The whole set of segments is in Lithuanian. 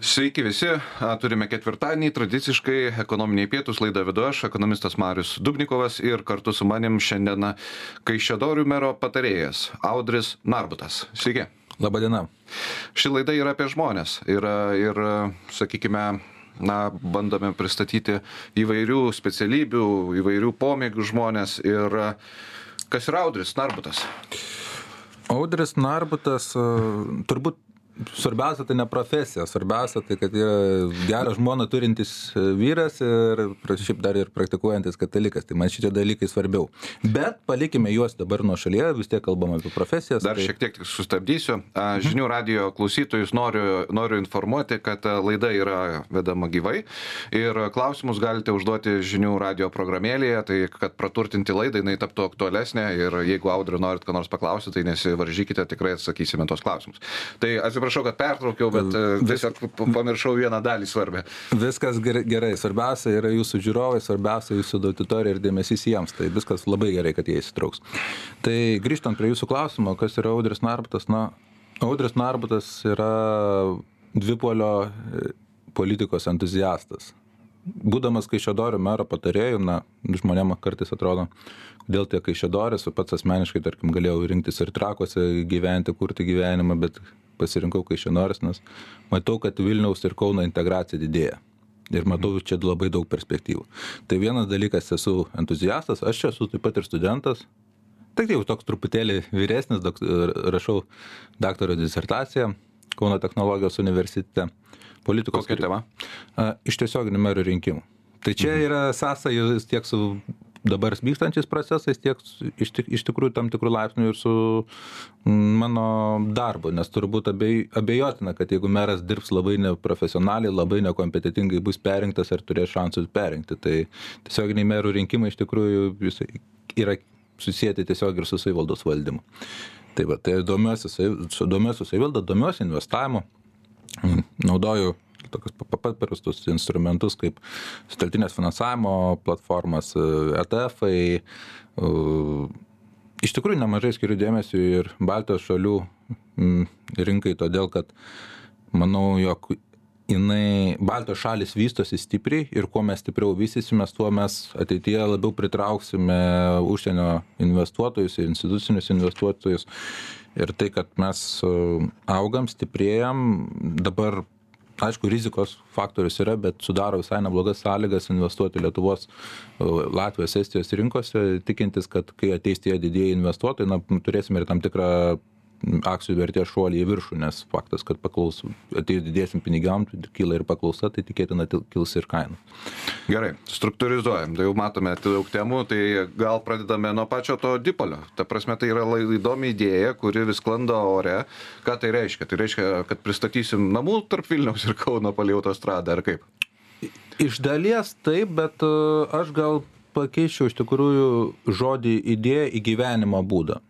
Sveiki visi, turime ketvirtadienį, tradiciškai ekonominiai pietus, laidą vedu aš, ekonomistas Marius Dubnikovas ir kartu su manim šiandien Kaišiadorių mero patarėjas Audris Narbutas. Sveiki. Labadiena. Ši laida yra apie žmonės ir sakykime, bandome pristatyti įvairių specialybių, įvairių pomėgių žmonės ir kas yra Audris Narbutas? Audris Narbutas turbūt svarbiausia tai ne profesija, svarbiausia tai, kad yra gerą žmoną turintis vyras ir šiaip dar ir praktikuojantis katalikas. Tai man šitie dalykai svarbiau. Bet palikime juos dabar nuo šalyje, vis tiek kalbam apie profesijas. Dar šiek tiek sustabdysiu. Žinių radijo klausytojus noriu informuoti, kad laida yra vedama gyvai ir klausimus galite užduoti žinių radijo programėlėje, tai kad praturtinti laidą, jinai taptų aktualesnė ir jeigu Audriu norit ką nors paklausyti, tai nesivaržykite, tikrai atsakysime tos klausimus. Tai atsiprašau, kad pertraukiau, bet tiesiog pamiršau vieną dalį svarbę. Viskas gerai. Svarbiausia yra jūsų žiūrovai, svarbiausia jūsų auditorija ir dėmesys jiems. Tai viskas labai gerai, kad jie įsitrauks. Tai grįžtant prie jūsų klausimo, kas yra Audris Narbutas? Audris Narbutas yra dvipolio politikos entuziastas. Būdamas Kaišiadorių mero patarėju, žmonėm kartais atrodo, kodėl tie Kaišiadoris, pats asmeniškai, tarkim, galėjau rinktis ir Trakuose gyventi, kurti gyvenimą, bet pasirinkau Kaišiadoris, nes matau, kad Vilniaus ir Kauno integracija didėja. Ir matau čia labai daug perspektyvų. Tai vienas dalykas, esu entuziastas, aš čia esu taip pat ir studentas, tik jau toks truputėlį vyresnis, rašau daktaro disertaciją Kauno technologijos universitete. Politikos kokia tema? Iš tiesioginių merų rinkimų. Tai čia yra sąsaja tiek su dabar vykstančiais procesais, tiek iš tikrųjų tam tikrų laipsnių ir su mano darbu, nes turbūt abejotina, kad jeigu meras dirbs labai neprofesionaliai, labai nekompetitingai, bus perrinktas ar turės šansus perrinkti. Tai tiesioginiai merų rinkimai iš tikrųjų yra susijęti tiesiog ir su savivaldos valdymu. Tai domiuosi savivaldą, domiuosi investavimu. Naudoju tokius paprastus instrumentus kaip sutelktinės finansavimo platformas, ETF-ai. Iš tikrųjų nemažai skiriu dėmesio ir Baltijos šalių rinkai, todėl kad manau, jog Baltijos šalis vystosi stipriai ir kuo mes stipriau vystysimės, tuo mes ateityje labiau pritrauksime užsienio investuotojus ir institucinius investuotojus. Ir tai, kad mes augam, stiprėjam, dabar, aišku, rizikos faktorius yra, bet sudaro visai neblogas sąlygas investuoti Lietuvos, Latvijos, Estijos rinkose, tikintis, kad kai ateis tie didieji investuotojai, turėsime ir tam tikrą akcijų vertės šuolį į viršų, nes faktas, kad atėjus didėsim pinigam, kyla ir paklausa, tai tikėtina kils ir kaina. Gerai, struktūrizuojam, tai jau matome daug temų, tai gal pradedame nuo pačio to dipolio. Ta prasme, tai yra įdomi idėja, kuri vis sklando ore. Ką tai reiškia? Tai reiškia, kad pristatysim namų tarp Vilniaus ir Kauno palei autostradą, ar kaip? Iš dalies taip, bet aš gal pakeičiau iš tikrųjų žodį idėją į gyvenimo būdą.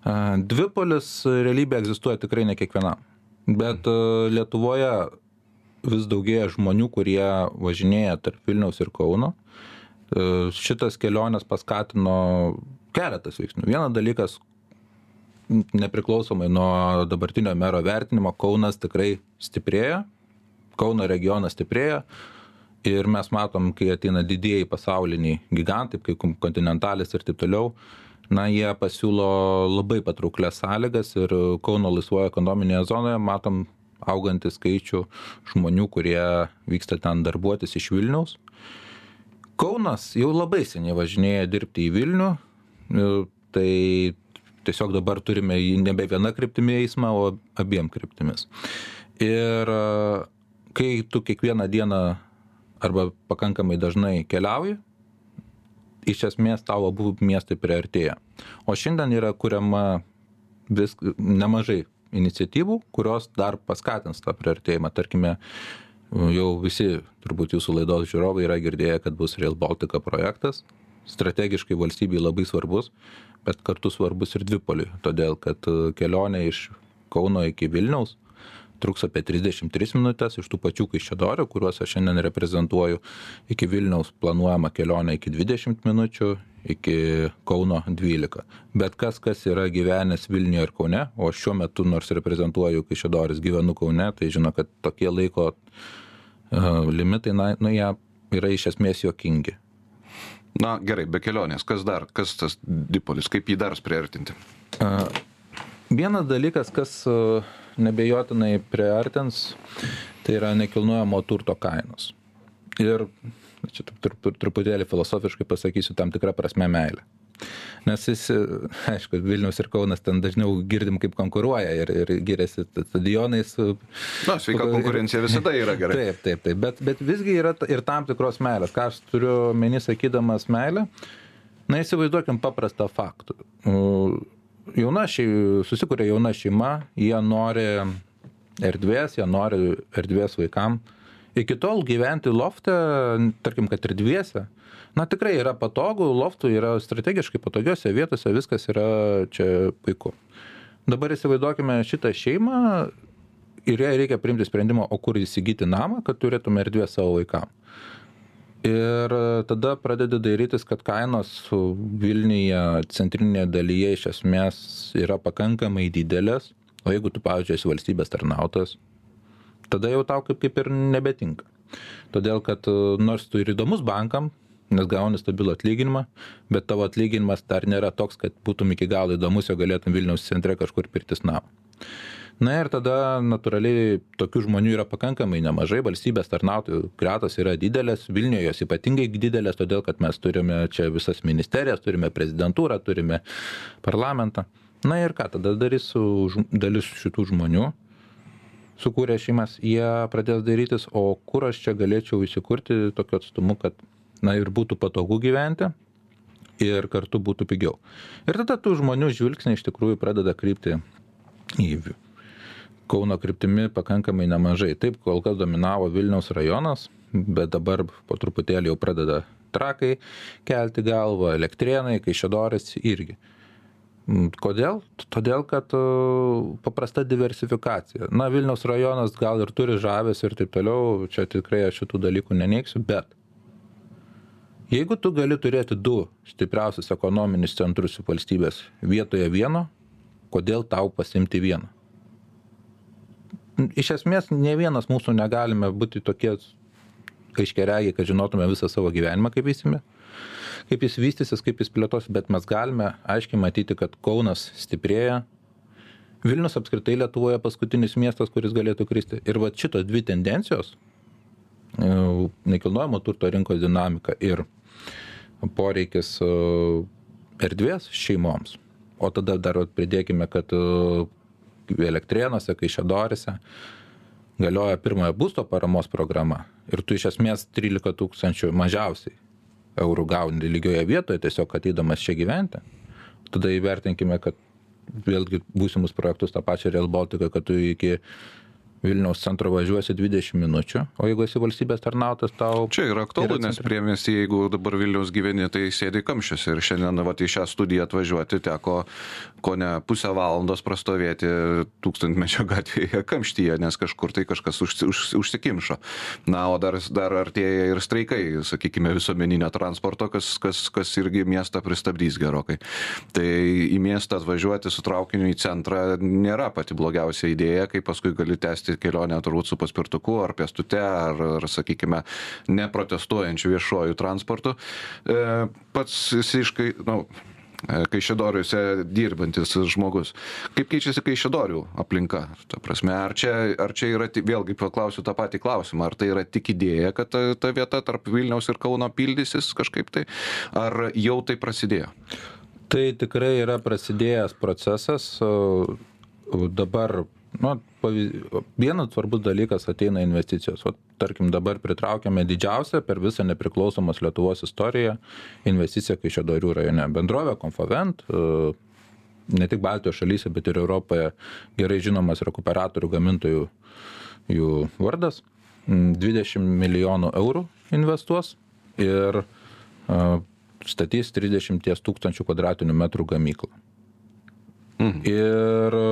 Dvipolis realybė egzistuoja tikrai ne kiekvienam, bet Lietuvoje vis daugėja žmonių, kurie važinėja tarp Vilniaus ir Kauno. Šitas kelionės paskatino keletas veiksnių. Vienas dalykas, nepriklausomai nuo dabartinio mero vertinimo, Kaunas tikrai stiprėja, Kauno regionas stiprėja ir mes matom, kai ateina didieji pasauliniai gigantai, kaip Continentalis ir taip toliau, jie pasiūlo labai patrauklias sąlygas ir Kauno laisvoje ekonominėje zonoje matom augantį skaičių žmonių, kurie vyksta ten darbuotis iš Vilniaus. Kaunas jau labai seniai važinėja dirbti į Vilnių, tai tiesiog dabar turime nebe viena kryptimi eismą, o abiem kryptimis. Ir kai tu kiekvieną dieną arba pakankamai dažnai keliauji, iš esmės tavo abu miestai priartėja. O šiandien yra kuriama nemažai iniciatyvų, kurios dar paskatins tą priartėjimą. Tarkime, jau visi turbūt jūsų laidos žiūrovai yra girdėję, kad bus Rail Baltica projektas. Strategiškai valstybei labai svarbus, bet kartu svarbus ir dvipoliui. Todėl, kad kelionė iš Kauno iki Vilniaus truks apie 33 minutės, iš tų pačių Kaišiadorių, kuriuos aš šiandien reprezentuoju, iki Vilniaus planuojama kelionė iki 20 minučių, iki Kauno 12. Bet kas yra gyvenęs Vilniuje ir Kaune, o šiuo metu nors reprezentuoju Kaišiadorius, gyvenu Kaune, tai žino, kad tokie laiko limitai, jie yra iš esmės juokingi. Na gerai, be kelionės, kas tas dipolis, kaip jį dar priartinti? Vienas dalykas, kas nebejotinai priartins, tai yra nekilnojamo turto kainos. Ir čia truputėlį filosofiškai pasakysiu, tam tikrą prasme meilę. Nes aišku, Vilnius ir Kaunas ten dažniau girdim, kaip konkuruoja ir giriasi stadionais. Na, sveika konkurencija visada yra gerai. Taip. Bet visgi yra ir tam tikros meilės. Ką aš turiu meni sakydamas meilę? Na, įsivaizduokim paprastą faktų. Susikuria jauna šeima, jie nori erdvės vaikam. Iki tol gyventi lofte, tarkim, kad ir dviese, tikrai yra patogu, loftų yra strategiškai patogiose vietose, viskas yra čia puiku. Dabar įsivaizduokime šitą šeimą ir jai reikia priimti sprendimą, o kur įsigyti namą, kad turėtume erdvės savo vaikam. Ir tada pradedi dairytis, kad kainos Vilniuje centrinėje dalyje iš esmės yra pakankamai didelės, o jeigu tu, pavyzdžiui, esi valstybės tarnautojas, tada jau tau kaip ir nebetinka. Todėl, kad nors tu ir įdomus bankam, nes gauni stabilų atlyginimą, bet tavo atlyginimas dar nėra toks, kad būtum iki galo įdomus, jo galėtum Vilniaus centre kažkur pirktis namą. Na ir tada natūraliai tokių žmonių yra pakankamai nemažai, valstybės tarnautojų gretos yra didelės, Vilniuje jos ypatingai didelės, todėl kad mes turime čia visas ministerijas, turime prezidentūrą, turime parlamentą. Na ir ką, tada darys dalis šitų žmonių, sukūrė šeimas, jie pradės darytis, o kur aš čia galėčiau įsikurti tokiu atstumu, kad ir būtų patogu gyventi ir kartu būtų pigiau. Ir tada tų žmonių žvilgsniai iš tikrųjų pradeda krypti į Kauno kryptimi pakankamai nemažai. Taip, kol kas dominavo Vilniaus rajonas, bet dabar po truputėlį jau pradeda Trakai kelti galvą, Elektrėnai, Kaišiadorys irgi. Kodėl? Todėl, kad paprasta diversifikacija. Vilniaus rajonas gal ir turi žavės ir taip toliau, čia tikrai aš šitų dalykų neneigsiu, bet jeigu tu gali turėti 2 stipriausius ekonominius centrus valstybės vietoje vieno, kodėl tau pasimti vieną? Iš esmės, ne vienas mūsų negalime būti tokie aiškiaregiai, kad žinotume visą savo gyvenimą, kaip jis vystysis, kaip jis plėtos, bet mes galime aiškiai matyti, kad Kaunas stiprėja. Vilnius apskritai Lietuvoje paskutinis miestas, kuris galėtų kristi. Ir šitos 2 tendencijos, nekilnojamo turto rinkos dinamika ir poreikis erdvės šeimoms. O tada dar pridėkime, kad Elektrėnuose, Kaišiadoryse galioja pirmojo būsto paramos programa. Ir tu iš esmės 13 000 mažiausiai eurų gauni lygioje vietoje, tiesiog ateidamas čia gyventi. Tada įvertinkime, kad vėlgi būsimus projektus tą pačią Rail Baltica, kad tu iki Vilniaus centro važiuosi 20 minučių, o jeigu esi valstybės tarnautojas, tau... Čia yra aktualu, nes priemiesty, jeigu dabar Vilniaus gyveni, tai sėdi kamščiuose. Ir šiandien į šią studiją atvažiuoti teko kone pusę valandos prastovėti Tūkstantmečio gatvėje kamštyje, nes kažkur tai kažkas užsikimšo. Na, o dar artėja ir streikai, sakykime, visuomeninio transporto, kas irgi miestą pristabdys gerokai. Tai į miestą atvažiuoti su traukiniu į centrą nėra pati blogiausia idėja, kai paskui gali tęsti kelionę turbūt su paspirtuku ar pėstute, ar sakykime, neprotestuojančių viešuoju transportu. Pats visiškai, Kaišiadoriuose dirbantis žmogus. Kaip keičiasi Kaišiadorių aplinka? Ta prasme, ar čia yra, vėlgi paklausiu tą patį klausimą, ar tai yra tik idėja, kad ta vieta tarp Vilniaus ir Kauno pildysis kažkaip tai, ar jau tai prasidėjo? Tai tikrai yra prasidėjęs procesas. Dabar vienas svarbus dalykas ateina investicijos. Tarkim, dabar pritraukiame didžiausią per visą nepriklausomos Lietuvos istoriją investiciją Kaišiadorių rajone. Bendrovė Konfavent, ne tik Baltijos šalyse, bet ir Europoje gerai žinomas rekuperatorių gamintojų jų vardas, 20 milijonų eurų investuos ir statys 30 000 kvadratinių metrų gamyklą. Ir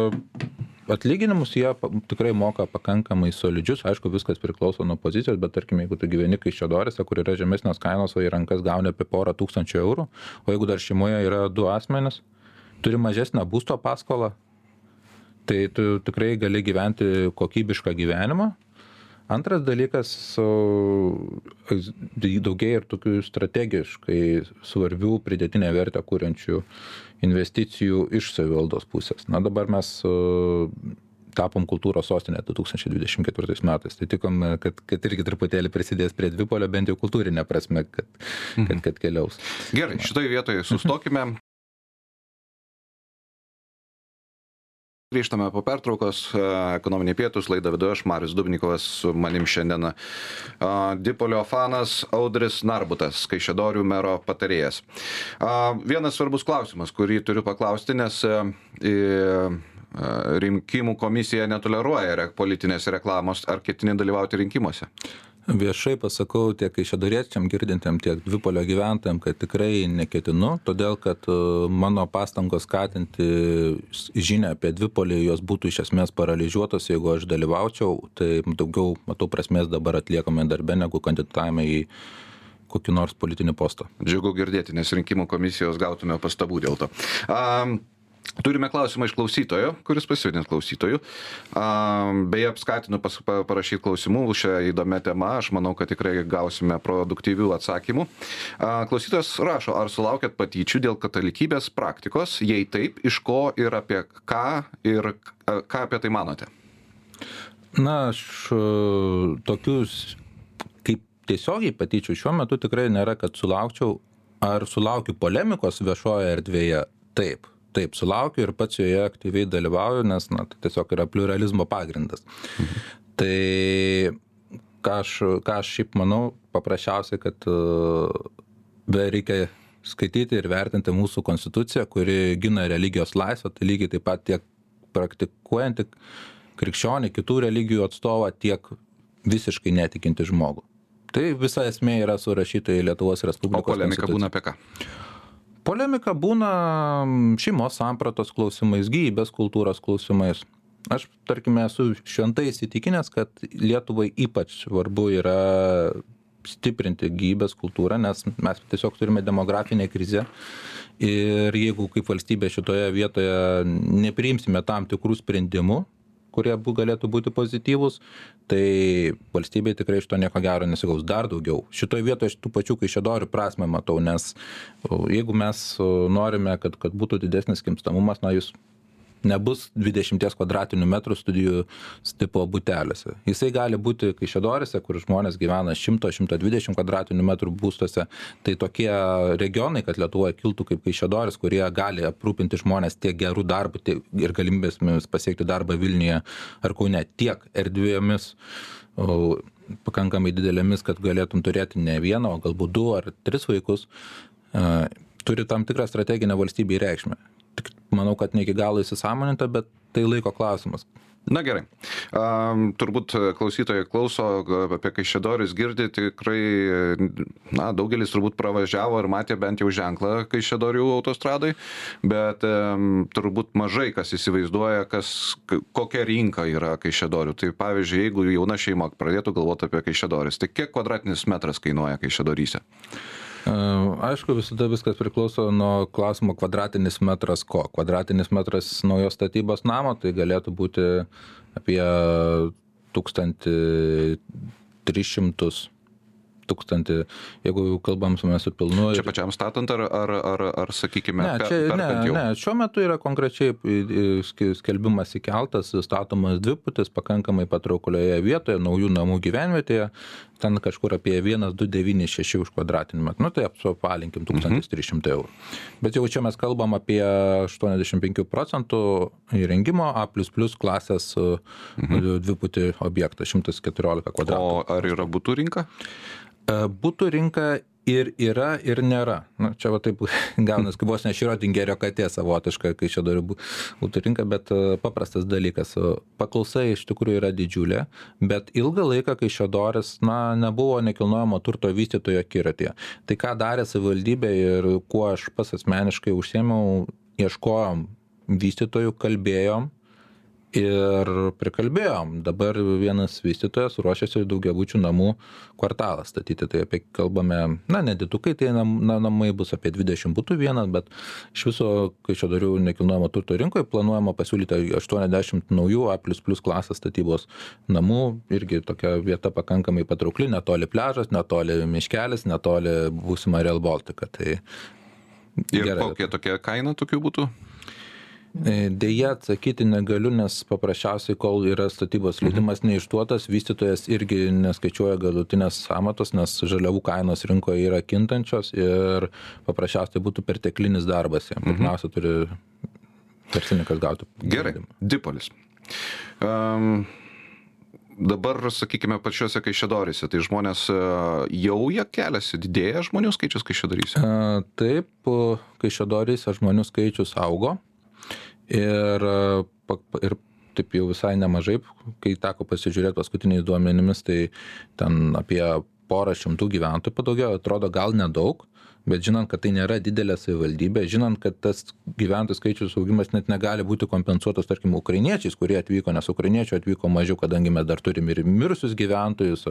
atlyginimus jie tikrai moka pakankamai solidžius, aišku, viskas priklauso nuo pozicijos, bet tarkim, jeigu tu gyveni Kaišiadoryse, kur yra žemesnės kainos, o į rankas gauni apie porą tūkstančių eurų, o jeigu dar šeimoje yra 2 asmenys, turi mažesnę būsto paskolą, tai tu tikrai gali gyventi kokybišką gyvenimą. Antras dalykas, daugėja ir tokių strategiškai svarbių pridėtinę vertę kuriančių investicijų iš savivaldos pusės. Na dabar mes tapom kultūros sostinė 2024 metais. Tai tikom, kad irgi truputėlį prisidės prie Dvipolio, bent jau kultūrinė prasme, kad keliaus. Gerai, šitoje vietoje sustokime. Grįžtame po pertraukos, ekonominiai pietus, laidą vedu aš, Marius Dubnikovas, su manim šiandien Dvipolio fanas Audris Narbutas, Kaišiadorių mero patarėjas. Vienas svarbus klausimas, kurį turiu paklausti, nes rinkimų komisija netoleruoja politinės reklamos, ar ketini dalyvauti rinkimuose? Viešai pasakau tiek kaišiadoriečiam girdintiem, tiek Dvipolio gyventojam, kad tikrai neketinu, todėl kad mano pastangos skatinti žinią apie Dvipolį, jos būtų iš esmės paralyžiuotos, jeigu aš dalyvaučiau, tai daugiau matau prasmės dabar atliekame darbe, negu kandidatavime į kokį nors politinį postą. Džiugu girdėti, nes rinkimų komisijos gautume pastabų dėl to. Turime klausimą iš klausytojo, kuris pasivadins klausytoju. Beje, skatinu parašyti klausimų šią įdomią temą. Aš manau, kad tikrai gausime produktyvių atsakymų. Klausytojas rašo, ar sulaukėt patyčių dėl katalikybės praktikos? Jei taip, iš ko ir apie ką ir ką apie tai manote? Na, aš tokius kaip tiesiogiai patyčių šiuo metu tikrai nėra, kad sulaukčiau. Ar sulaukiu polemikos viešoje erdvėje? Taip, sulaukiu ir pats joje aktyviai dalyvauju, nes tai tiesiog yra pluralizmo pagrindas. Tai ką aš šiaip manau, paprasčiausiai, kad reikia skaityti ir vertinti mūsų konstituciją, kuri gina religijos laisvę, tai lygiai taip pat tiek praktikuojantį krikščionį, kitų religijų atstovą, tiek visiškai netikinti žmogų. Tai visa esmė yra surašyta į Lietuvos Respublikos konstituciją. O polemika būna apie ką? Polemika būna šeimos sampratos klausimais, gyvybės kultūros klausimais. Aš, tarkime, esu šventai įsitikinęs, kad Lietuvai ypač svarbu yra stiprinti gyvybės kultūrą, nes mes tiesiog turime demografinę krizę ir jeigu kaip valstybė šitoje vietoje nepriimsime tam tikrų sprendimų, kurie galėtų būti pozityvūs, tai valstybė tikrai iš to nieko gero nesigaus dar daugiau. Šitoje vietoje aš tų pačių Kaišiadorių prasmę matau, nes jeigu mes norime, kad būtų didesnis gimstamumas, jis nebus 20 kvadratinių metrų studijų tipo buteliuose. Jisai gali būti Kaišiadoryse, kur žmonės gyvena 100-120 kvadratinių metrų būstuose. Tai tokie regionai, kad Lietuvoje kiltų kaip Kaišiadorys, kurie gali aprūpinti žmonės tiek gerų darbų ir galimybėmis pasiekti darbą Vilniuje ar Kaune, tiek erdvėmis pakankamai didelėmis, kad galėtum turėti ne vieną, o galbūt 2 ar 3 vaikus, turi tam tikrą strateginę valstybei reikšmę. Manau, kad ne iki galo įsisąmoninta, bet tai laiko klausimas. Na gerai. Turbūt klausytojai klauso apie Kaišiadorius, girdi tikrai, daugelis turbūt pravažiavo ir matė bent jau ženklą Kaišiadorių autostradai, bet turbūt mažai kas įsivaizduoja, kokia rinka yra Kaišiadorių. Tai pavyzdžiui, jeigu jauna šeima pradėtų galvoti apie Kaišiadorius, tai kiek kvadratinis metras kainuoja Kaišiadoryse? Aišku, visada viskas priklauso nuo klausimo kvadratinis metras ko. Kvadratinis metras naujos statybos namo, tai galėtų būti apie 1300, jeigu kalbam su pilnu. Čia pačiam statant ar sakykime, perkant jau? Ne, šiuo metu yra konkrečiai skelbimas įkeltas, statomas dviputis pakankamai patrauklioje vietoje, naujų namų gyvenvietėje, ten kažkur apie 1,296 už kvadratinį metrą. Tai apvalinkim 1300 eurų. Bet jau čia mes kalbam apie 85% įrengimo A++ klasės dviputį objektą, 114 kvadratų. O ar yra butų rinka? Butų rinka ir yra, ir nėra. Čia taip gaunas, kaip vos ne Šriotingerio katė savotiška, kai čia dar būtų rinka, bet paprastas dalykas. Paklausa iš tikrųjų yra didžiulė, bet ilgą laiką Kaišiadorys nebuvo nekilnojamo turto vystytojo akiratyje. Tai ką darė savivaldybė ir kuo aš pats asmeniškai užsiėmiau, ieškojom vystytojų, kalbėjom Ir prikalbėjom, dabar vienas vystytojas ruošiasi daugiabučių namų kvartalą statyti, tai apie kalbame, nedidukai, tai namai bus apie 20 butų vienas, bet iš viso, kai Kaišiadorių nekilnojamo turto rinkoje planuojama pasiūlyti 80 naujų A++ klasės statybos namų, irgi tokia vieta pakankamai patraukli, netoli pliažas, netoli miškelis, netoli būsima Real Baltica. Tai ir kokia tokia kaina tokių būtų? Deja, atsakyti negaliu, nes paprasčiausiai, kol yra statybos leidimas neišduotas, vystytojas irgi neskaičiuoja galutinės sąmatos, nes žaliavų kainos rinkoje yra kintančios ir paprasčiausiai būtų perteklinis darbas. Pirmiausia, turi verslininkas gauti. Gerai, Dipolis. Dabar, sakykime, pačiuose Kaišiadoryse, tai žmonės jau jie keliasi, didėja žmonių skaičius Kaišiadoryse? Taip, Kaišiadoryse žmonių skaičius augo. Ir taip jau visai nemažai, kai teko pasižiūrėti paskutiniais duomenimis, tai ten apie 100 gyventojų padaugėjo, atrodo gal nedaug, bet žinant, kad tai nėra didelė savivaldybė, žinant, kad tas gyventojų skaičius augimas net negali būti kompensuotas, tarkim, ukrainiečiais, kurie atvyko, nes ukrainiečių atvyko mažiau, kadangi mes dar turim ir mirusius gyventojus,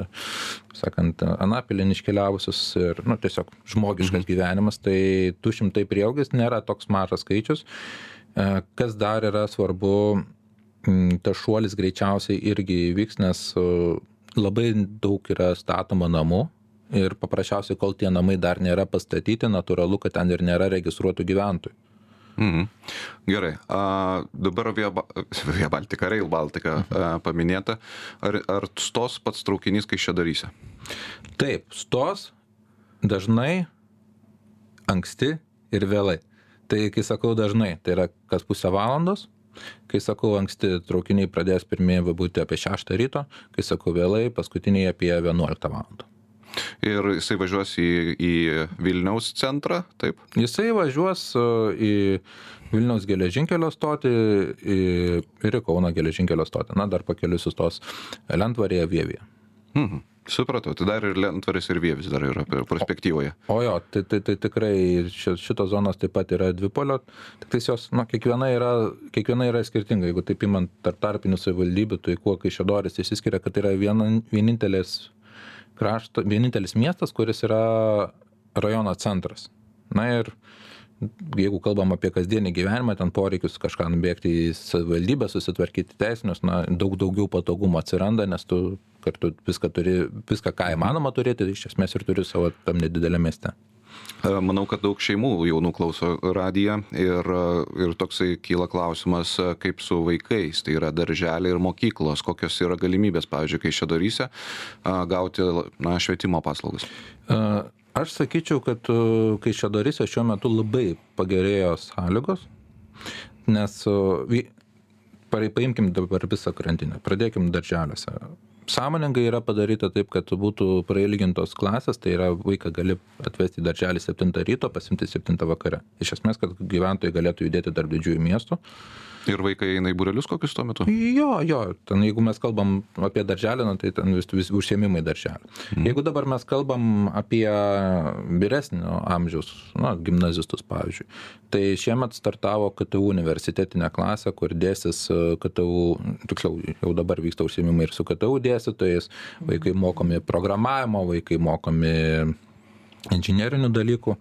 sakant, Anapilin iškeliavusius ir, tiesiog žmogiškas gyvenimas, tai 200 prieaugis nėra toks mažas skaičius. Kas dar yra svarbu, tas šuolis greičiausiai irgi įvyks, nes labai daug yra statoma namų ir paprasčiausiai, kol tie namai dar nėra pastatyti, natūralu, kad ten ir nėra registruotų gyventojų. Gerai, dabar Via Baltica, Rail Baltica paminėta, ar stos pats traukinys Kaišiadoryse? Taip, stos dažnai, anksti ir vėlai. Tai kai sakau dažnai, tai yra kas pusę valandos, kai sakau anksti traukiniai pradės pirmieji būti apie 6 ryto, kai sakau vėlai, paskutiniai apie 11 valandą. Ir jisai važiuos į Vilniaus centrą, taip? Jisai važiuos į Vilniaus geležinkelio stotį ir į Kauno geležinkelio stotį. Dar pakeliui sustos Lentvaryje, Vievyje. Supratau, tai dar ir Lentvaris ir Vievis dar yra perspektyvoje. O jo, tai tikrai šitos zonos taip pat yra dvipolio, tik tai jos, kiekviena yra skirtinga. Jeigu taip imant tarpinių savivaldybių, tai kuo Kaišiadorys išsiskiria, kad yra vienintelis miestas, kuris yra rajono centras. Ir jeigu kalbam apie kasdienį gyvenimą, ten poreikius kažką nubėgti į savivaldybę, susitvarkyti teisinius, daug daugiau patogumo atsiranda, nes tu kartu viską, ką įmanoma turėti, iš esmės ir turi savo tam nedidelę mieste. Manau, kad daug šeimų jaunų klauso radiją ir toksai kyla klausimas, kaip su vaikais, tai yra darželiai ir mokyklos, kokios yra galimybės, pavyzdžiui, Kaišiadoryse gauti švietimo paslaugas. Aš sakyčiau, kad Kaišiadoryse šiuo metu labai pagerėjo sąlygos, nes paimkim dabar visą grandinę, pradėkim darželiuose. Sąmoningai yra padaryta taip, kad būtų prailgintos klasės, tai yra vaiką gali atvesti į darželį 7 ryto, pasimti 7 vakare. Iš esmės, kad gyventojai galėtų judėti tarp didžiųjų miestų. Ir vaikai eina į būrelius kokius tuo metu? Jo, ten jeigu mes kalbam apie darželį, tai ten vis užsiėmimai darželį. Jeigu dabar mes kalbam apie vyresnio amžiaus, gimnazistus pavyzdžiui, tai šiemet startavo KTU universitetinė klasė, kur dėsis KTU, tiksliau, jau dabar vyksta užsiėmimai ir su KTU dėstytojais, vaikai mokomi programavimo, vaikai mokomi inžinerinių dalykų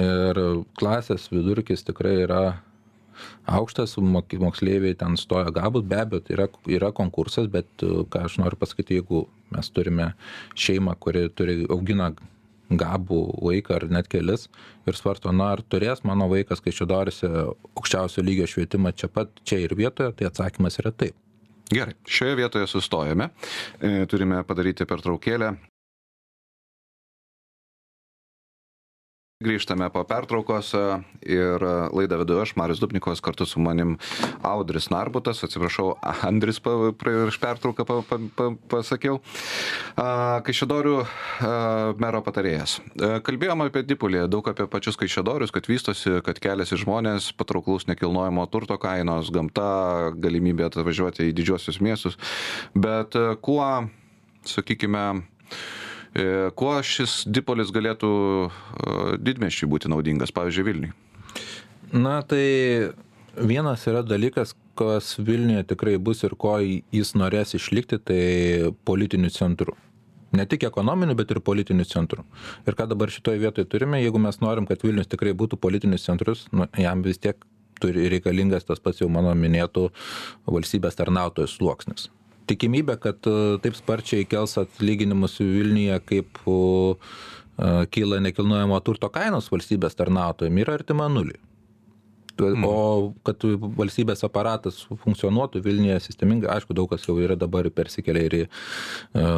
ir klasės vidurkis tikrai yra aukštas, moksleiviai ten stoja gabus, be abejo, tai yra konkursas, bet ką aš noriu pasakyti, jeigu mes turime šeimą, kuri augina gabų vaiką ar net kelis ir svarsto, ar turės mano vaikas Kaišiadoryse aukščiausio lygio švietimą čia ir vietoje, tai atsakymas yra taip. Gerai, šioje vietoje sustojame, turime padaryti pertraukėlę. Grįžtame po pertraukos ir laidą vedu aš, Marius Dubnikovas, kartu su manim Audris Narbutas, atsiprašau, Andris prieš pertrauką pasakiau, Kaišiadorių mero patarėjas. Kalbėjom apie Dipolį, daug apie pačius Kaišiadorius, kad vystosi, kad keliasi žmonės, patrauklaus nekilnojamo turto kainos, gamta, galimybė atvažiuoti į didžiuosius miestus, bet kuo, sakykime, kuo šis Dipolis galėtų didmiesčiui būti naudingas, pavyzdžiui, Vilniui? Tai vienas yra dalykas, kas Vilniuje tikrai bus ir ko jis norės išlikti, tai politinių centrų. Ne tik ekonominių, bet ir politinių centrų. Ir ką dabar šitoje vietoje turime, jeigu mes norim, kad Vilnius tikrai būtų politinis centrus, jam vis tiek turi reikalingas tas pats jau mano minėtų valstybės tarnautojų sluoksnis. Tikimybė, kad taip sparčiai kels atlyginimus Vilniuje, kaip kyla nekilnojamo turto kainos valstybės tarnautojams, yra artima nuliui. O kad valstybės aparatas funkcionuotų Vilniuje sistemingai, aišku, daug kas jau yra dabar persikelia ir į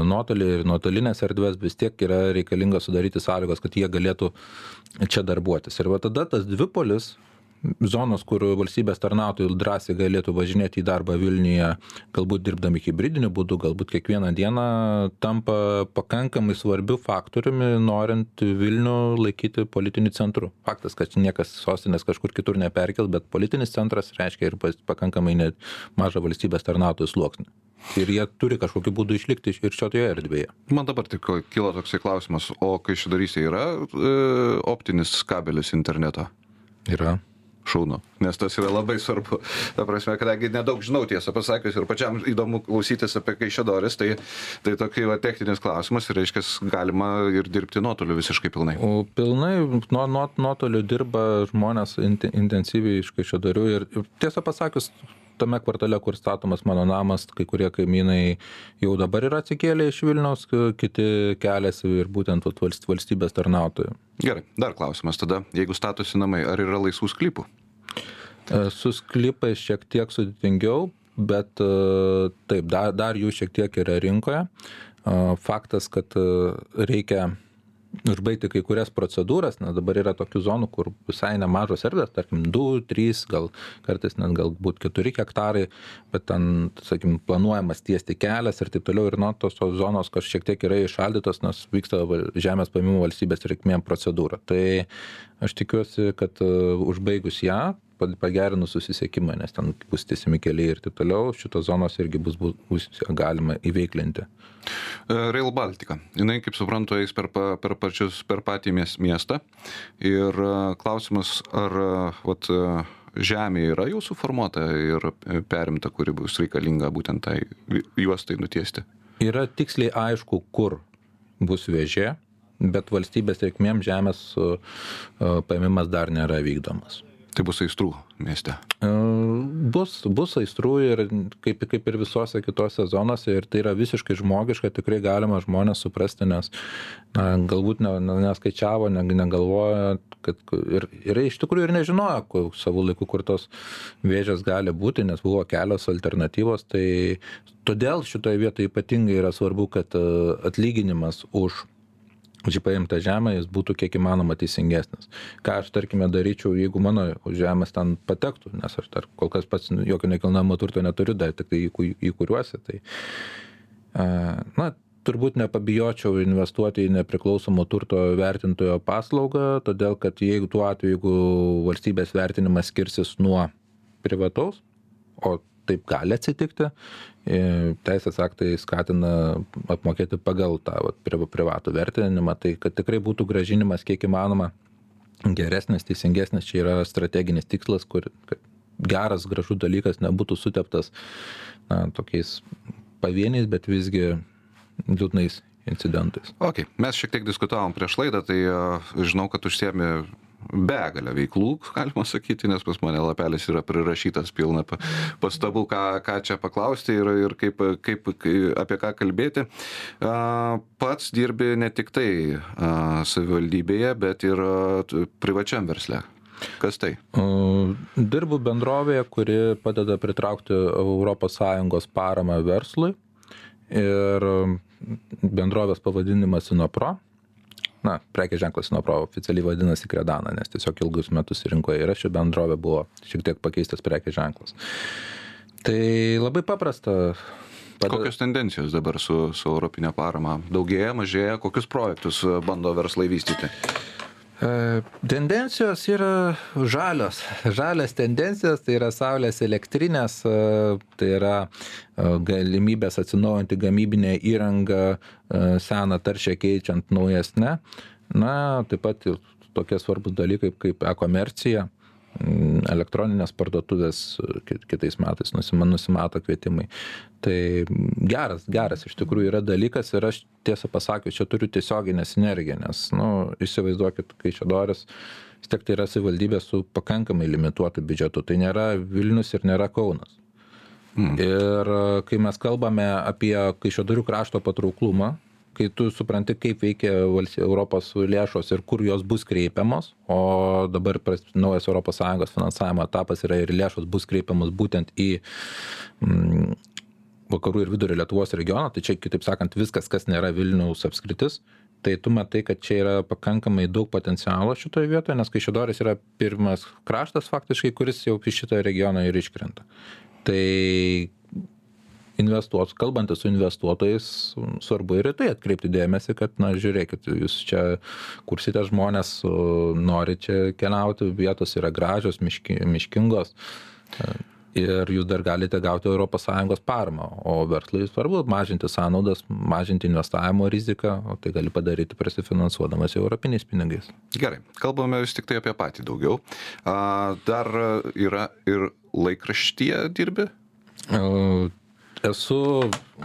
nuotolį, ir nuotolinės erdvės, vis tiek yra reikalinga sudaryti sąlygos, kad jie galėtų čia darbuotis. Ir va tada tas dvipolis, zonos, kur valstybės tarnautojai drąsiai galėtų važinėti į darbą Vilniuje, galbūt dirbdami hibridiniu būdu, galbūt kiekvieną dieną, tampa pakankamai svarbiu faktoriumi, norint Vilnių laikyti politiniu centru. Faktas, kad niekas sostinės kažkur kitur neperkels, bet politinis centras reiškia ir pakankamai mažą valstybės tarnautojų sluoksnį. Ir jie turi kažkokiu būdu išlikti ir šioje erdvėje. Man dabar tik kilo toksai klausimas, o kai šidarysė yra optinis kabelis interneto? Yra. Šaunu, nes tas yra labai svarbu. Ta prasme, kadangi nedaug žinau tiesą pasakius ir pačiam įdomu klausytis apie Kaišiadorys, tai tokia techninis klausimas ir reiškia, galima ir dirbti nuotoliu visiškai pilnai. O pilnai nuotoliu dirba žmonės intensyviai iš Kaišiadorių ir tiesą pasakius, tame kvartale, kur statomas mano namas, kai kurie kaimynai jau dabar yra atsikėlę iš Vilniaus, kiti keliasi ir būtent valstybės tarnautojų. Gerai, dar klausimas tada, jeigu statosi namai, ar yra laisvų sklypų? Su sklypais šiek tiek sudėtingiau, bet taip, dar jų šiek tiek yra rinkoje. Faktas, kad reikia užbaigti kai kurias procedūras, nes dabar yra tokių zonų, kur visai nemažos erdvės, tarkim 2, 3, gal kartais net galbūt 4 hektarai, bet ten, sakykim, planuojamas tiesti kelias ir taip toliau, ir tos zonos šiek tiek yra išaldytos, nes vyksta žemės paėmimo valstybės reikmėm procedūra. Tai aš tikiuosi, kad užbaigus ją, pagerinus susisiekimą, nes ten bus tiesiami keliai ir taip toliau, šitos zonos irgi bus galima įveiklinti. Rail Baltica. Jinai, kaip suprantu, eis per patį miestą. Ir klausimas, ar žemė yra jau suformuota ir perimta, kuri bus reikalinga būtent tai juostai nutiesti? Yra tiksliai aišku, kur bus vėžė, bet valstybės reikmėm žemės paėmimas dar nėra vykdomas. Tai bus aistrų mieste? Bus aistrų ir kaip ir visose kitose zonose, ir tai yra visiškai žmogiška, tikrai galima žmonės suprasti, nes galbūt neskaičiavo, negalvoja, kad ir iš tikrųjų ir nežinojo savo laiku, kur tos vėžės gali būti, nes buvo kelios alternatyvos. Tai todėl šitoje vietoje ypatingai yra svarbu, kad atlyginimas už paimtą žemę jis būtų kiek įmanoma teisingesnis. Ką aš, tarkime, daryčiau, jeigu mano žemės ten patektų, nes aš kol kas pats jokio nekilnojamo turto neturiu, dar tik tai įkuriuosi. Tai, turbūt nepabijočiau investuoti į nepriklausomo turto vertintojo paslaugą, todėl kad jeigu tuo atveju, jeigu valstybės vertinimas skirsis nuo privataus, o taip gali atsitikti, teisės aktai skatina apmokėti pagal tą privatų vertinimą, tai kad tikrai būtų grąžinimas kiek įmanoma geresnis, teisingesnis, čia yra strateginis tikslas, kur geras, gražus dalykas nebūtų suteptas tokiais pavieniais, bet visgi liūdnais incidentais. Ok, mes šiek tiek diskutavom prieš laidą, tai žinau, kad užsiemi begalę veiklų, galima sakyti, nes pas mane lapelis yra prirašytas pilna pastabų, ką čia paklausti ir kaip apie ką kalbėti. Pats dirbi ne tik tai savivaldybėje, bet ir privačiam versle. Kas tai? Dirbu bendrovėje, kuri padeda pritraukti ES paramą verslui, ir bendrovės pavadinimas Sinopro. Prekės ženklas Sinopro oficialiai vadinasi Kredana, nes tiesiog ilgus metus rinkoje yra, ši bendrovė buvo šiek tiek pakeistas prekės ženklas. Tai labai paprasta. Kokios tendencijos dabar su europinė parama? Daugėja, mažėja? Kokius projektus bando verslai vystyti? Tendencijos yra žalios tendencijos, tai yra saulės elektrinės, tai yra galimybės atsinaujinti gamybinę įrangą, seną taršią keičiant naujesnę. Taip pat tokie svarbus dalykai kaip e-komercija, elektroninės parduotuvės kitais metais nusimato kvietimai. Tai geras iš tikrųjų yra dalykas ir aš tiesą pasakius, čia turiu tiesioginę sinergiją, nes, įsivaizduokit, Kaišiadorys, vis tiek tai yra savivaldybė su pakankamai limituotu biudžetu, tai nėra Vilnius ir nėra Kaunas. Ir kai mes kalbame apie Kaišiadorių krašto patrauklumą, kai tu supranti, kaip veikia Europos lėšos ir kur jos bus kreipiamos, o dabar naujas ES finansavimo etapas yra ir lėšos bus kreipiamos būtent į vakarų ir vidurio Lietuvos regioną, tai čia, kitaip sakant, viskas, kas nėra Vilniaus apskritis, tai tu matai, kad čia yra pakankamai daug potencialo šitoje vietoje, nes Kaišiadorys yra pirmas kraštas faktiškai, kuris jau iš šito regiono ir iškrenta. Tai kalbantis su investuotojais, svarbu ir tai atkreipti dėmesį, kad, žiūrėkit, jūs čia kursite žmonės, nori čia keliauti, vietos yra gražios, miškingos ir jūs dar galite gauti ES paramą, o verslui svarbu mažinti sąnaudas, mažinti investavimo riziką, o tai gali padaryti prasifinansuodamas europiniais pinigais. Gerai, kalbame vis tik tai apie patį daugiau. Dar yra ir laikraštyje dirbi? Esu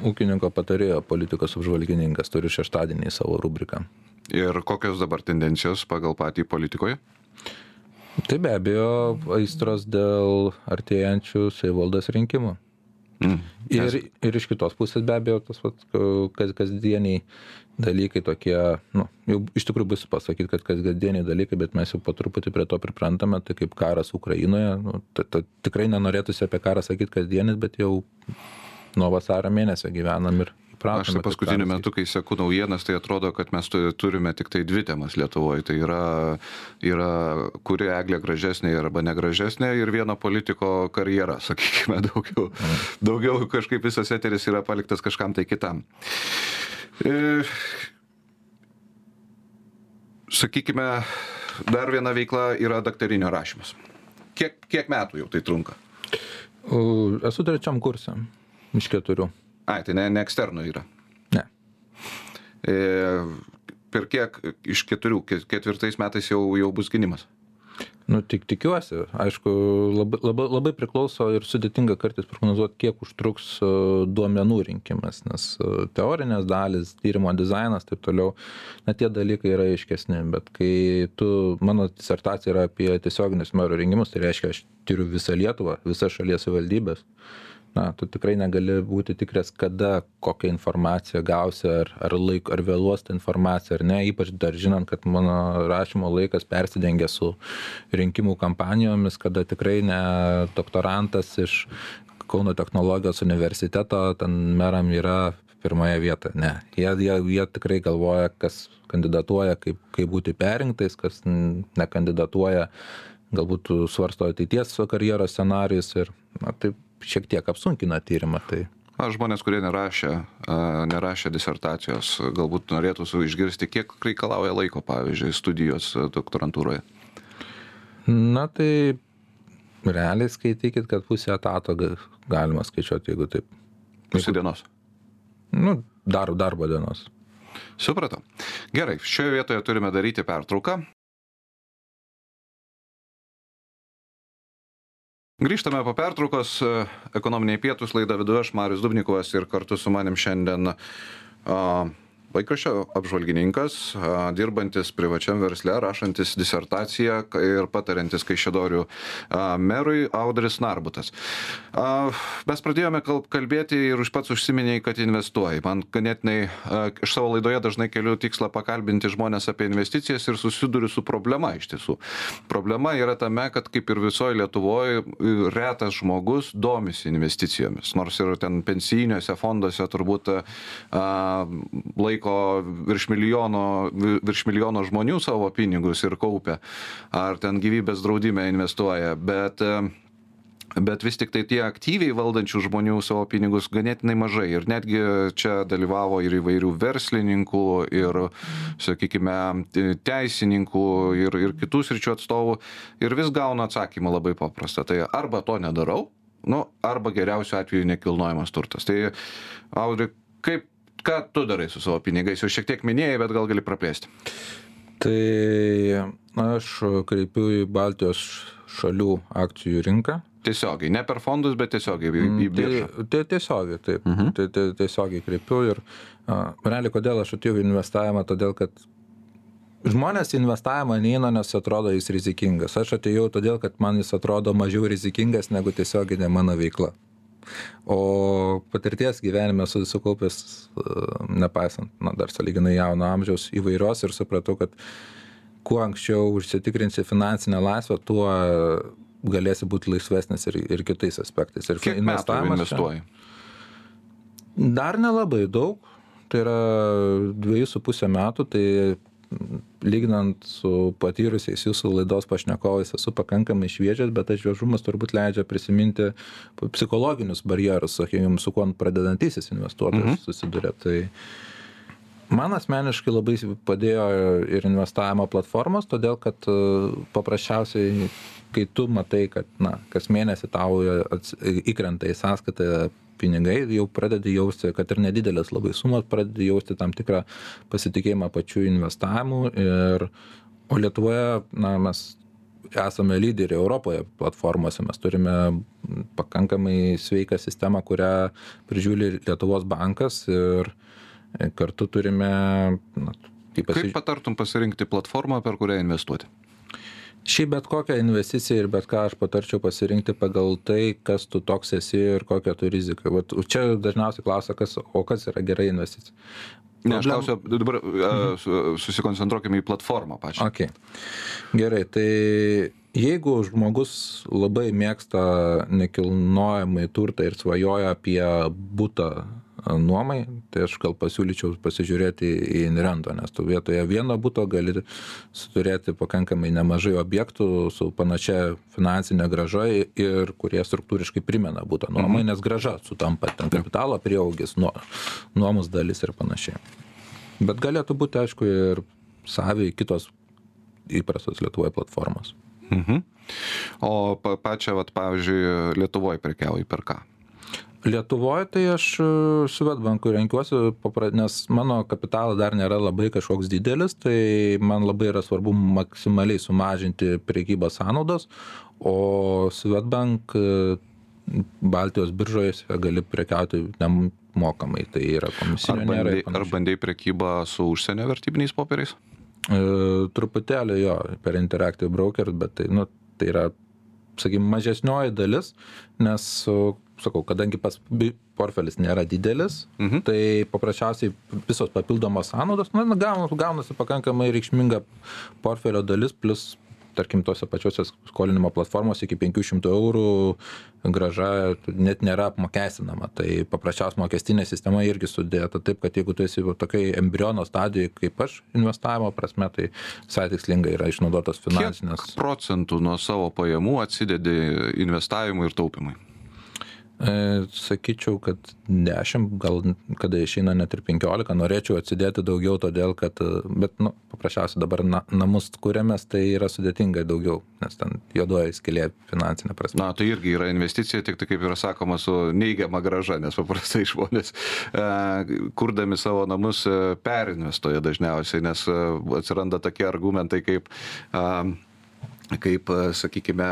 ūkininko patarėjo, politikos apžvalgininkas, turiu šeštadienį savo rubriką. Ir kokios dabar tendencijos pagal patį politikoje? Tai be abejo aistros dėl artėjančių savivaldos rinkimų. Ir iš kitos pusės be abejo tas kasdieniai dalykai tokie, jau iš tikrųjų bus pasakyti, kad kasdieniai dalykai, bet mes jau po truputį prie to priprantame, tai kaip karas Ukrainoje, tikrai nenorėtųsi apie karą sakyti kasdienis, bet jau nuo vasario mėnesio gyvenam ir įpratome. Aš paskutiniu metu, kai seku naujienas, tai atrodo, kad mes turime tik tai dvi temas Lietuvoje. Tai yra kuri eglė gražesnė arba negražesnė ir vieno politiko karjera, sakykime, daugiau kažkaip visas eteris yra paliktas kažkam tai kitam. Sakykime, dar viena veikla yra daktarinio rašymas. Kiek metų jau tai trunka? Esu 3 kurse. Iš 4. Tai ne eksternų yra? Ne. Per kiek iš 4, 4 metais jau bus gynimas? Tikiuosi. Aišku, labai priklauso ir sudėtinga kartais prognozuoti, kiek užtruks duomenų rinkimas, nes teorinės dalis, tyrimo dizainas, taip toliau, tie dalykai yra aiškesni, bet kai mano disertacija yra apie tiesioginius merų rinkimus, tai reiškia, aš tyriu visą Lietuvą, visas šalies savivaldybės. Tu tikrai negali būti tikras, kada kokią informaciją gausi, ar vėluos tą informaciją, ar ne, ypač dar žinant, kad mano rašymo laikas persidengia su rinkimų kampanijomis, kada tikrai ne doktorantas iš Kauno technologijos universiteto, ten meram yra pirmoje vietoje. Ne, jie tikrai galvoja, kas kandidatuoja, kaip būti perrinktais, kas nekandidatuoja, galbūt svarsto ateities karjeros scenarijus ir taip šiek tiek apsunkina tyrimą. Tai žmonės, kurie nerašė disertacijos, galbūt norėtų išgirsti, kiek reikalauja laiko, pavyzdžiui, studijos doktorantūroje. Tai realiai skaitykit, kad pusę etato galima skaičiuoti, jeigu taip. Pusę dienos? Darbo dienos. Supratau. Gerai, šioje vietoje turime daryti pertrauką. Grįžtame po pertraukos, ekonominiai pietūs, laida vedu aš, Marius Dubnikovas, ir kartu su manim šiandien laikraščio apžvalgininkas, dirbantis privačiam versle, rašantis disertaciją ir patariantis Kaišiadorių merui Audris Narbutas. Mes pradėjome kalbėti ir pats užsiminėjai, kad investuoji. Man ganėtinai, iš savo laidoje dažnai keliu tikslą pakalbinti žmonės apie investicijas ir susiduriu su problema iš tiesų. Problema yra tame, kad kaip ir visoje Lietuvoje retas žmogus domisi investicijomis, nors ir ten pensijiniuose fonduose turbūt laiko virš milijono žmonių savo pinigus ir kaupia, ar ten gyvybės draudime investuoja, bet vis tik tai tie aktyviai valdančių žmonių savo pinigus ganėtinai mažai. Ir netgi čia dalyvavo ir įvairių verslininkų, ir, sakykime, teisininkų, ir kitų sričių atstovų. Ir vis gauna atsakymą labai paprastą. Tai arba to nedarau, arba geriausiu atveju nekilnojamas turtas. Tai, Audri, ką tu darai su savo pinigais? Jau šiek tiek minėjai, bet gal gali praplėsti. Tai aš kreipiu į Baltijos šalių akcijų rinką. Tiesiogiai, ne per fondus, bet tiesiogiai į biržą. Tiesiogiai, taip. Tiesiogiai kreipiu ir realiai, kodėl aš atėjau į investavimą, todėl kad žmonės į investavimą neina, nes atrodo jis rizikingas. Aš atėjau todėl, kad man jis atrodo mažiau rizikingas negu tiesioginė mano veikla. O patirties gyvenime sukaupęs, nepaisant, dar sąlyginai jauno amžiaus įvairios ir supratau, kad kuo anksčiau užsitikrinsi finansinę laisvę, tuo galėsi būti laisvesnis ir kitais aspektais. Ir kiek metų investuoji? Dar nelabai daug, tai yra 2,5 metų, tai lyginant su patyrusiais jūsų laidos pašnekovais esu pakankamai šviežias, bet tas šviežumas turbūt leidžia prisiminti psichologinius barjerus, sakykime, su kuo pradedantysis investuotojas susiduria. Tai man asmeniškai labai padėjo ir investavimo platformos, todėl kad paprasčiausiai, kai tu matai, kad kas mėnesį tau įkrenta į sąskaitą pinigai, jau pradedi jausti, kad ir nedidelės labai sumos, pradedi jausti tam tikrą pasitikėjimą pačių investavimu. O Lietuvoje mes esame lyderiai Europoje platformose, mes turime pakankamai sveiką sistemą, kurią prižiūri Lietuvos bankas ir kartu turime... Kaip patartum pasirinkti platformą, per kurią investuoti? Šiaip bet kokią investiciją ir bet ką aš patarčiau pasirinkti pagal tai, kas tu toks esi ir kokią tu riziką. Čia dažniausiai klausia, kas yra gera investicija. Ne, aš klausiu, dabar susikoncentruokime į platformą pačią. Okay. Gerai, tai jeigu žmogus labai mėgsta nekilnojamąjį turtą ir svajoja apie butą nuomai, tai aš gal pasiūlyčiau pasižiūrėti į Inrento, nes tu vietoje vieno buto gali turėti pakankamai nemažai objektų su panašia finansinė grąža ir kurie struktūriškai primena butą nuomai, nes grąža sutampa, ten kapitalo prieaugis, nuomos dalis ir panašiai. Bet galėtų būti, aišku, ir saviai kitos įprastos Lietuvoje platformos. O pačią, pavyzdžiui, Lietuvoje prekiauji per ką? Lietuvoje tai aš Swedbankui renkiuosi, nes mano kapitalas dar nėra labai kažkoks didelis, tai man labai yra svarbu maksimaliai sumažinti prekybos sąnaudas, o Swedbank Baltijos biržoje gali prekiauti nemokamai, tai yra komisinio nėra. Ar bandai prekybą su užsienio vertybiniais popieriais? Truputėlį jo, per Interactive Broker, bet tai yra, sakykime, mažesnioji dalis, nes sakau, kadangi portfelis nėra didelis, tai paprasčiausiai visos papildomos sąnaudos, gaunasi pakankamai reikšminga portfelio dalis, plus, tarkim, tose pačiose skolinimo platformos iki 500 eurų grąža net nėra apmokestinama. Tai paprasčiausia mokestinė sistema irgi sudėta taip, kad jeigu tu esi tokiai embriono stadijoje kaip aš investavimo prasme, tai visai tikslingai yra išnaudotos finansinės. Kiek procentų nuo savo pajamų atsidedi investavimui ir taupimui? Sakyčiau, kad 10, gal kada išeina net ir 15, norėčiau atsidėti daugiau, todėl kad, bet paprasčiausiai dabar namus kuriamės, tai yra sudėtingai daugiau, nes ten juodoji skylė finansinė prasme. Tai irgi yra investicija, tik tai kaip yra sakoma, su neigiama grąža, nes paprastai žmonės kurdami savo namus perinvestuoja dažniausiai, nes atsiranda tokie argumentai kaip sakykime,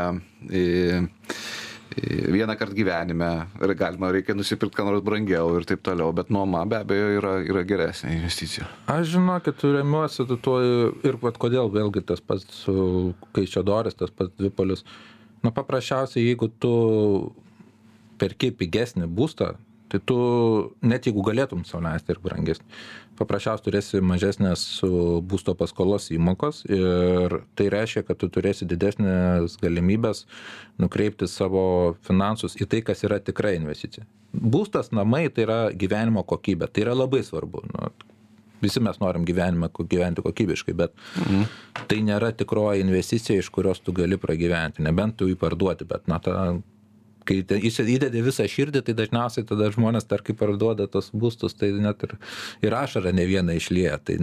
vieną kartą gyvenime reikia nusipirkti ką nors brangiau ir taip toliau, bet nuoma be abejo yra geresnė investicija. Aš žinokit, remiuosi tuo ir kodėl vėlgi tas pats Kaišiadorys, tas pats Dvipolis. Paprasčiausiai, jeigu tu perki pigesnį būstą, tai tu, net jeigu galėtum sau leisti ir brangesnį, paprasčiausiai turėsi mažesnės būsto paskolos įmokos ir tai reiškia, kad tu turėsi didesnės galimybės nukreipti savo finansus į tai, kas yra tikra investicija. Būstas, namai, tai yra gyvenimo kokybė, tai yra labai svarbu. Visi mes norim gyventi kokybiškai, bet tai nėra tikroji investicija, iš kurios tu gali pragyventi, nebent tu jį parduoti, bet kai įdedi visą širdį, tai dažniausiai tada žmonės, kai parduoda tos būstus, tai net ir ašarą ne vieną išlieja. Tai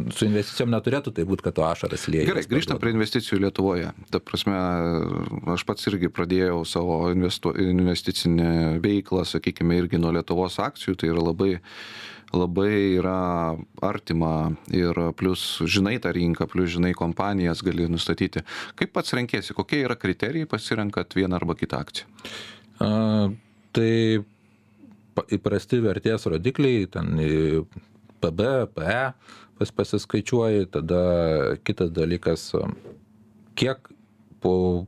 su investicijom neturėtų tai būti, kad tu ašaras lieja. Gerai, grįžtam prie investicijų Lietuvoje. Ta prasme, aš pats irgi pradėjau savo investicinę veiklą, sakykime, irgi nuo Lietuvos akcijų, tai yra labai labai yra artima ir plus žinai tą rinką, plus žinai kompanijas gali nustatyti. Kaip pats renkėsi, kokie yra kriterijai pasirenkat vieną arba kitą akciją? Tai įprasti vertės rodikliai, ten PB, PE pasiskaičiuoji, tada kitas dalykas, kiek po,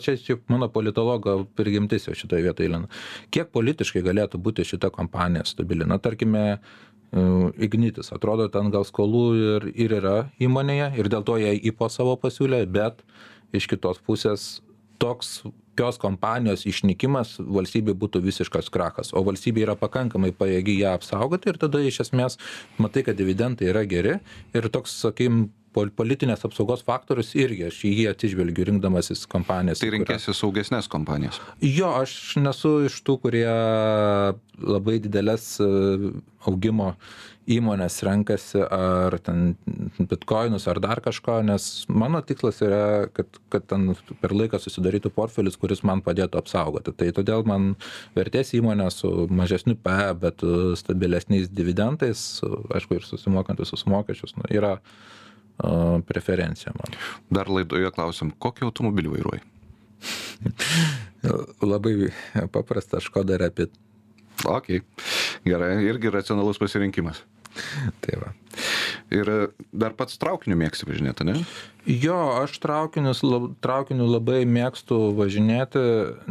čia mano politologo prigimtis jau šitoje vietoje įlina, kiek politiškai galėtų būti šita kompanija stabili. Tarkime, Ignitis, atrodo, ten gal skolų ir yra įmonėje ir dėl to jie IPO savo pasiūlė, bet iš kitos pusės tokios kompanijos išnykimas valstybė būtų visiškas krachas, o valstybė yra pakankamai pajėgi ją apsaugoti ir tada iš esmės matai, kad dividendai yra geri ir toks, sakykim, politinės apsaugos faktorius irgi aš į jį atsižvelgiu rinkdamasis kompanijas. Tai renkėsi saugesnės kompanijas? Jo, aš nesu iš tų, kurie labai didelės augimo įmonės renkasi ar ten bitcoinus ar dar kažko, nes mano tikslas yra, kad ten per laiką susidarytų portfelis, kuris man padėtų apsaugoti. Tai todėl man vertės įmonė su mažesniu PE, bet stabilesniais dividendais, aišku, ir susimokant visus mokesčius, yra preferencija man. Dar laidoje klausim, kokį automobilį vairuoji? Labai paprasta, Škoda Rapid. Ok, gerai, irgi racionalus pasirinkimas. Tai va. Ir dar pats traukiniu mėgsti važinėti, ne? Jo, aš traukiniu labai mėgstu važinėti,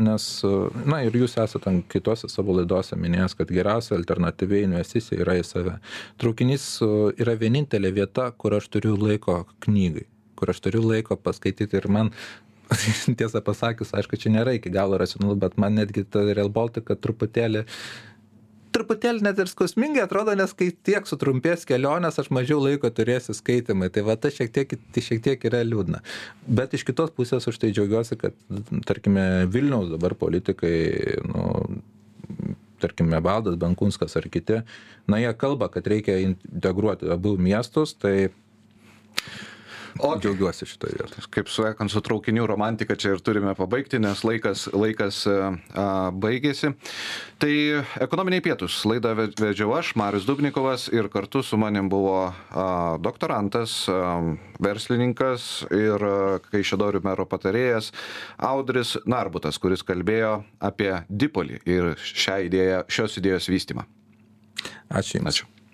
nes, ir jūs esate kitose savo laidose minėjęs, kad geriausia alternatyviai investicija yra į save. Traukinys yra vienintelė vieta, kur aš turiu laiko knygai, kur aš turiu laiko paskaityti ir man, tiesą pasakius, aišku, čia nėra iki galo racionalu, bet man netgi ta Rail Baltica truputėlį net ir skausmingai atrodo, nes kai tiek sutrumpės kelionės, aš mažiau laiko turėsiu skaitimai. Tai va, tai šiek tiek yra liūdna. Bet iš kitos pusės už tai džiaugiuosi, kad, tarkime, Vilniaus dabar politikai, tarkime, Valdas Benkunskas ar kiti, jie kalba, kad reikia integruoti abu miestus, tai džiaugiuosi šitoje vietoje. Kaip sakant, su traukinių romantika čia ir turime pabaigti, nes laikas baigėsi. Tai ekonominiai pietūs. Laidą vedžiau aš, Marius Dubnikovas, ir kartu su manim buvo doktorantas, verslininkas ir Kaišiadorių mero patarėjas Audris Narbutas, kuris kalbėjo apie Dipolį ir šios idėjos vystymą. Ačiū Jums. Ačiū.